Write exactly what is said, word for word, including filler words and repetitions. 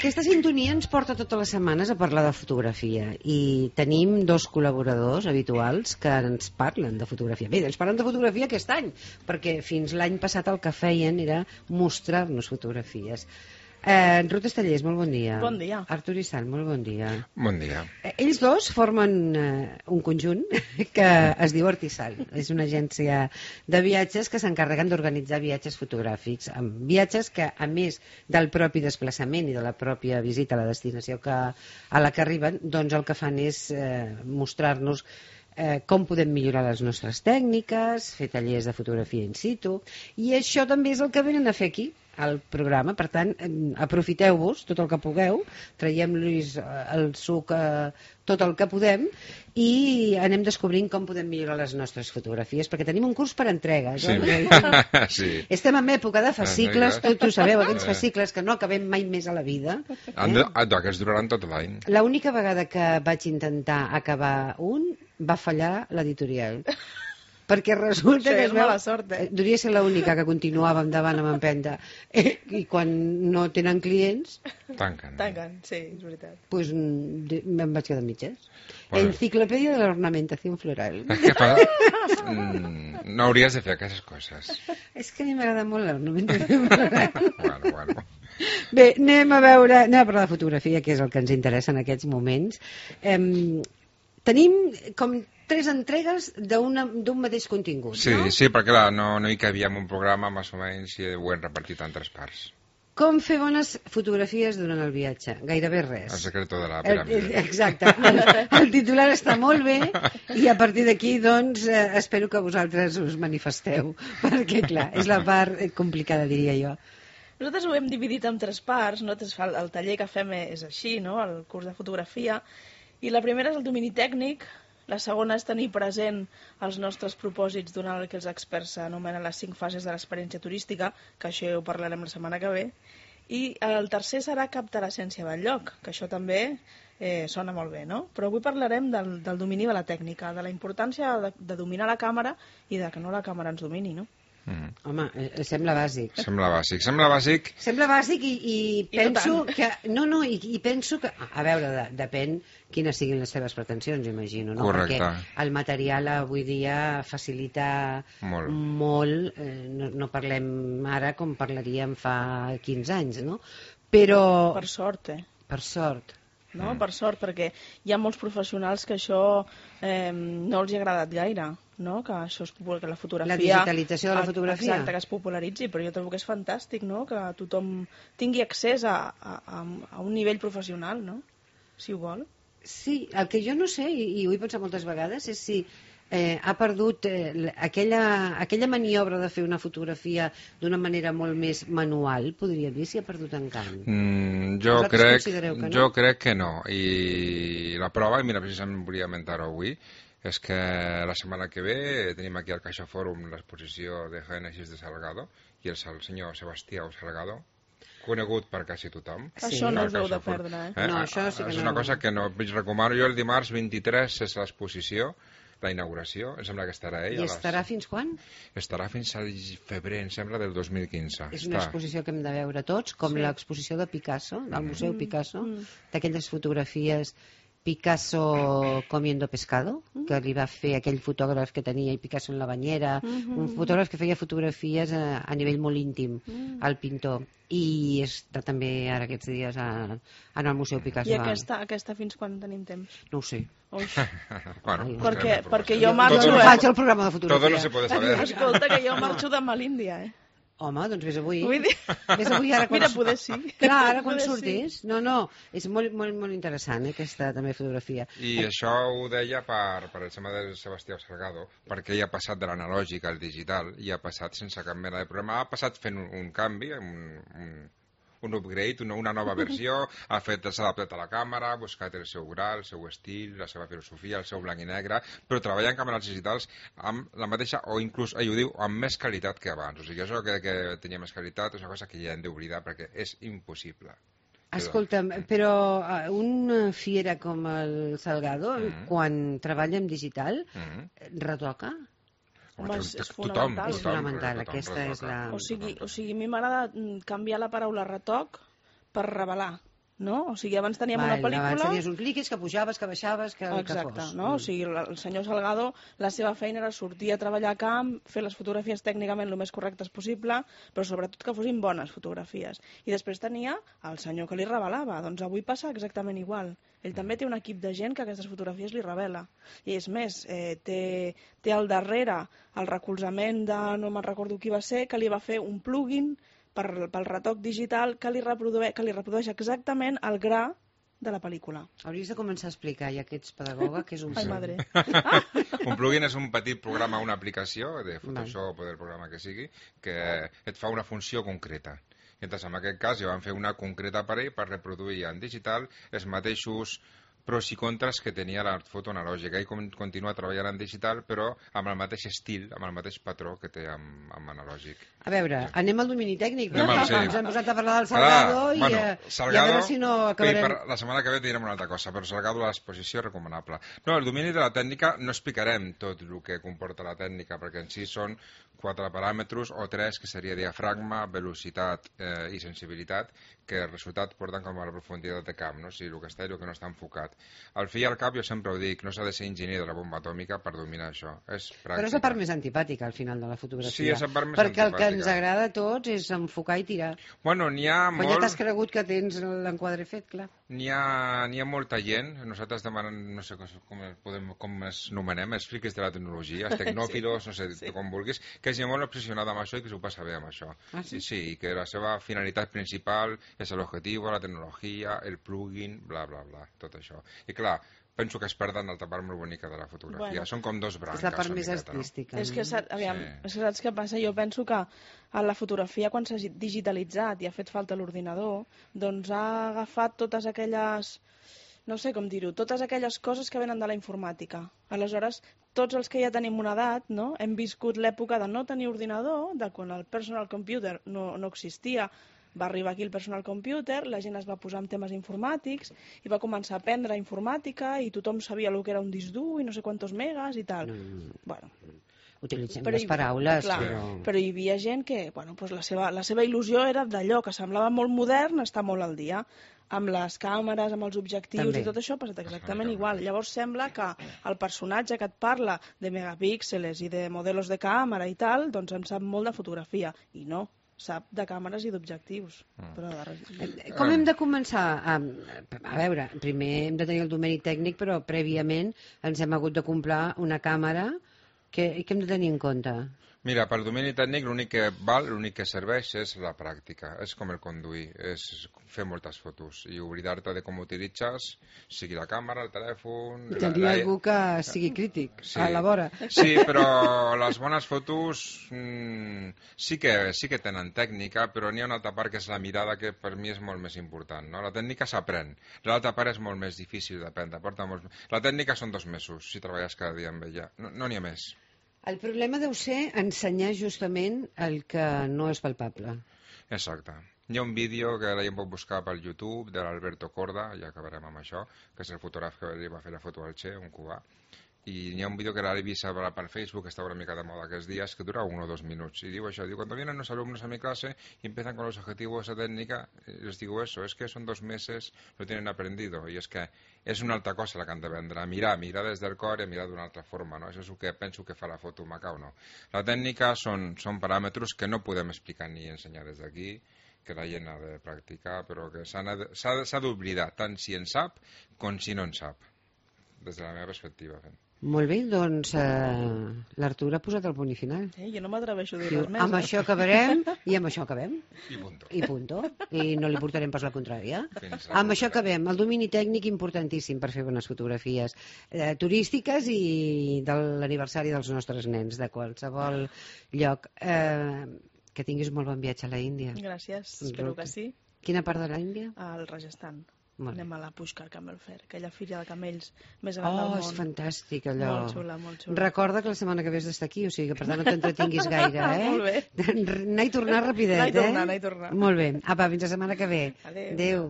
Aquesta sintonia ens porta totes les setmanes a parlar de fotografia i tenim dos col·laboradors habituals que ens parlen de fotografia. Bé, ens parlen de fotografia aquest any, perquè fins l'any passat el que feien era mostrar-nos fotografies. Eh, Ruth Estellers, molt bon dia. Bon dia. Artur Issant, molt bon dia. Bon dia. Eh, ells dos formen eh, un conjunt que es diu Artisal. És una agència de viatges que s'encarreguen d'organitzar viatges fotogràfics, amb viatges que, a més del propi desplaçament i de la pròpia visita a la destinació que, a la que arriben, doncs el que fan és eh, mostrar-nos Eh, com podem millorar les nostres tècniques, fer tallers de fotografia in situ, i això també és el que venen a fer aquí al programa. Per tant, eh, aprofiteu-vos tot el que pugueu, traiem-los el suc eh, tot el que podem i anem descobrint com podem millorar les nostres fotografies, perquè tenim un curs per entregues. Sí. Eh? Sí. Estem en època de fascicles, tots ho sabeu, aquests fascicles que no acabem mai més a la vida. Eh? Han de, aquests duraran tot l'any. L'única vegada que vaig intentar acabar un va fallar l'editorial, perquè resulta que és mala sort, eh? Devia ser l'única que continuava endavant amb empenta, eh, i quan no tenen clients tanquen. Tanquen, sí, és veritat. pues, me'n vaig quedar mitges. Bueno. Enciclopèdia de l'ornamentació floral. Què fa? Mm, no hauries de fer aquestes coses. És que a mi m'agrada molt l'ornamentació floral. Bueno, bueno. Bé, anem a veure, anem a parlar de fotografia, que és el que ens interessa en aquests moments. Eh, tenim com tres entregues d'un mateix contingut, Sí, no? sí, perquè clar, no, no hi cabia en un programa, més o menys, i ho hem repartit en tres parts. Com fer bones fotografies durant el viatge? Gairebé res. El secreto de la El, piràmide. el, exacte. El, el titular està molt bé i a partir d'aquí, doncs, eh, espero que vosaltres us manifesteu, perquè, clar, és la part complicada, diria jo. Nosaltres ho hem dividit en tres parts, no? El, el taller que fem és així, no? El curs de fotografia, i la primera és el domini tècnic, la segona és tenir present els nostres propòsits durant el que els experts anomenen les cinc fases de l'experiència turística, que això ja ho parlarem la setmana que ve, i el tercer serà captar l'essència del lloc, que això també eh, sona molt bé, no? Però avui parlarem del, del domini de la tècnica, de la importància de, de dominar la càmera i de que no la càmera ens domini, no? Mm. Home, eh, sembla bàsic. Sembla bàsic, sembla bàsic. Sembla bàsic i, i penso tant. que... No, no, i, i penso que... A veure, de, depèn quines siguin les seves pretensions, imagino, no? Correcte. Perquè el material avui dia facilita Molt. molt eh, no, no parlem ara com parlaríem fa quinze anys, no? Però... Per sort, eh? Per sort. No? Per sort, perquè hi ha molts professionals que això eh, no els hi ha agradat gaire, no? Que això es popul... que la fotografia... La digitalització de la fotografia. Exacte, que es popularitzi, però jo trobo que és fantàstic, no? Que tothom tingui accés a, a, a un nivell professional, no? Si ho vol. Sí, el que jo no sé, i, i ho he pensat moltes vegades, és si eh, ha perdut eh, aquella, aquella maniobra de fer una fotografia d'una manera molt més manual, podria dir, si ha perdut encant. Mm, jo, Vosaltres crec, considereu que no? jo crec que no. I la prova, i mira, precisament volia comentar-ho avui, és que la setmana que ve tenim aquí al Caixa Fòrum l'exposició de Génesis de Salgado i el, el senyor Sebastià Salgado, conegut per quasi tothom. Sí. Això no us heu de Caixa Fòrum. perdre, eh? eh? No, això sí que és no. una cosa que no recomano. Jo el dimarts vint-i-tres és l'exposició, la inauguració, em sembla que estarà ell. I estarà fins quan? Estarà fins al febrer, em sembla, del dos mil quinze. És una Està. exposició que hem de veure tots, com Sí. l'exposició de Picasso, del Museu Mm, Picasso, mm. d'aquelles fotografies Picasso comiendo pescado, que li va fer aquell fotògraf que tenia i Picasso en la banyera, Mhm. un fotògraf que feia fotografies a, a nivell molt íntim, Mm. el pintor, i està també ara aquests dies a, en el Museu Picasso. I aquesta, aquesta fins quan tenim temps? No ho sé. Ui. bueno, Ai, pues perquè, tenim perquè informació. jo marxo... Jo no eh? faig el programa de fotografia. Todo no se puede saber. Escolta, que jo marxo demà a l'Índia, eh? Home, doncs vés avui. Vull dir... Vés avui ara quan... Mira, poder sí. Clar, ara quan Poder sí. surtis. No, no, és molt, molt, molt interessant, eh, aquesta també fotografia. I això ho deia per, per el tema del Sebastià Salgado, perquè ell ha passat de l'analògic al digital i ha passat sense cap mena de problema. Ha passat fent un, un canvi, un, un, un upgrade, una, una nova versió, ha fet, s'ha adaptat a la càmera, ha buscat el seu gra, el seu estil, la seva filosofia, el seu blanc i negre, però treballa en càmeres digitals amb la mateixa, o inclús, ell ho diu, amb més qualitat que abans. O sigui, això que, que tenia més qualitat és una cosa que ja hem d'oblidar perquè és impossible. Escolta'm, però uh, una fiera com el Salgado, Mhm. quan treballa en digital, Mm-hmm. retoca? Home, és- és tothom, fonamental. És tothom, fonamental, tothom aquesta retoca. és la- O sigui, o sigui, a mi m'agrada mm, canviar la paraula retoc per revelar. no? O sigui, abans teníem Vale, una pel·lícula... Abans tenies uns líquids que pujaves, que baixaves, que, Exacte, que fos. no? O sigui, el senyor Salgado, la seva feina era sortir a treballar a camp, fer les fotografies tècnicament el més correctes possible, però sobretot que fossin bones fotografies. I després tenia el senyor que li revelava. Doncs avui passa exactament igual. Ell també té un equip de gent que aquestes fotografies li revela. I és més, eh, té, té al darrere el recolzament de, no me'n recordo qui va ser, que li va fer un plugin per, pel retoc digital que li, reprodueix, que li reprodueix exactament el gra de la pel·lícula. Hauries de començar a explicar, ja que ets pedagoga, què és un Ai, plugin. madre. Un plugin és un petit programa, una aplicació de Photoshop o del programa que sigui, que et fa una funció concreta. I entonces, en aquest cas, ja vam fer una concreta per ell per reproduir en digital els mateixos pros i contres que tenia la foto analògica. Ell continua treballant en digital, però amb el mateix estil, amb el mateix patró que té amb, amb analògic. A veure, Sí. anem al domini tècnic, Anem perquè al- sí. ens hem posat a parlar del Salgado, Clar, i, bueno, eh, Salgado, i a veure si no acabarem... per, la setmana que ve direm una altra cosa, però Salgado a l'exposició recomanable. No, el domini de la tècnica no explicarem tot el que comporta la tècnica, perquè en si són quatre paràmetres o tres, que seria diafragma, velocitat eh, i sensibilitat, que el resultat porten com a la profunditat de camp, no? O sigui, el que està i el que no està enfocat. Al fi i al cap, jo sempre ho dic, no s'ha de ser enginyer de la bomba atòmica per dominar això. És pràctica. Però és la part més antipàtica, al final, de la fotografia. Sí, és la part més perquè el que antipàtica. ens agrada a tots és enfocar i tirar. Bueno, n'hi ha Quan ja molt... t'has cregut que tens l'enquadre fet, clar. N'hi ha, n'hi ha molta gent, nosaltres demanem, no sé com, podem, com es nomenem, els friquis de la tecnologia, els tecnòfilos, sí, no sé sí. com vulguis, que és gent molt obsessionada amb això i que s'ho passa bé amb això. Ah, sí? Sí, sí, i que la seva finalitat principal és l'objectiu, la tecnologia, el plugin, bla, bla, bla, tot això. I clar, penso que es perden l'altra part molt bonica de la fotografia. Bueno, Són com dos branques. És la part més miqueta, artística. És que, saps, aviam, Sí. és que saps què passa? Jo penso que a la fotografia, quan s'ha digitalitzat i ha fet falta l'ordinador, doncs ha agafat totes aquelles, no sé com dir-ho, totes aquelles coses que venen de la informàtica. Aleshores, tots els que ja tenim una edat, no? Hem viscut l'època de no tenir ordinador, de quan el personal computer no, no existia. Va arribar aquí el personal computer, la gent es va posar amb temes informàtics i va començar a aprendre informàtica i tothom sabia el que era un disc dur i no sé quantos megas i tal. Mm. Bueno, Utilitzem però les hi- paraules, clar, però... però hi havia gent que bueno, doncs la, seva, la seva il·lusió era d'allò que semblava molt modern, estar molt al dia amb les càmeres, amb els objectius També. i tot això ha passat exactament igual. Llavors sembla que el personatge que et parla de megapíxeles i de modelos de càmera i tal, doncs en sap molt de fotografia. I no, sap de càmeres i d'objectius. Mm. Però de... Eh, Com hem de començar? A, a veure, primer hem de tenir el domini tècnic, però prèviament ens hem hagut de comprar una càmera. Què, què hem de tenir en compte? Mira, pel domini tècnic l'únic que val, l'únic que serveix és la pràctica, és com el conduir, és fer moltes fotos i oblidar-te de com utilitzes, sigui la càmera, el telèfon... I tenir la, la... algú que sigui crític Sí. a la vora. Sí, però les bones fotos mmm, sí, que, sí que tenen tècnica, però n'hi ha una altra part que és la mirada, que per mi és molt més important. No? La tècnica s'aprèn, l'altra part és molt més difícil d'aprendre. Porta molts... La tècnica són dos mesos, si treballes cada dia amb ella. No n'hi no ha més. El problema deu ser ensenyar justament el que no és palpable. Exacte. Hi ha un vídeo que la gent pot buscar pel YouTube de l'Alberto Corda, ja acabarem amb això, que és el fotògraf que li va fer la foto al Che, un cubà. Y hi ha un vídeo que l'he vist per, per Facebook, que està una mica de moda aquests días, que dura uno o dos minutos. Y digo eso, digo, cuando vienen los alumnos a mi clase y empiezan con los objetivos de técnica, les digo eso, es que son dos meses, lo tienen aprendido. Y es que és una altra cosa la que han de vendre, mirar, mirar des del cor i mirar d'una altra forma, no? Això és el que penso que fa la foto maca o no. La tècnica són, són paràmetres que no podem explicar ni ensenyar des d'aquí, que la gent ha de practicar, però que s'ha d'oblidar, tant si en sap com si no en sap, des de la meva perspectiva. Molt bé, doncs eh, l'Artur ha posat el punt i final. Eh, jo no m'atreveixo a dir Diu, res més. amb eh? això acabarem i amb això acabem. I punto. I punto. I no li portarem pas la contrària. Fins la Amb això propera. acabem. El domini tècnic importantíssim per fer bones fotografies eh, turístiques i de l'aniversari dels nostres nens, de qualsevol lloc. Eh, que tinguis molt bon viatge a la Índia. Gràcies, espero que sí. Quina part de la Índia? Al Rajasthan. Molt bé. Anem a la Pushkar Camel Fair, aquella fira de camells més gran del Oh, món. és fantàstic allò. Molt xula, molt xula. Recorda que la setmana que ve has d'estar aquí, o sigui que per tant no t'entretinguis gaire, eh? Molt bé. Anar i tornar rapidet, Anar i tornar, eh? anar i tornar. Molt bé. Apa, fins la setmana que ve. Adéu. Adéu.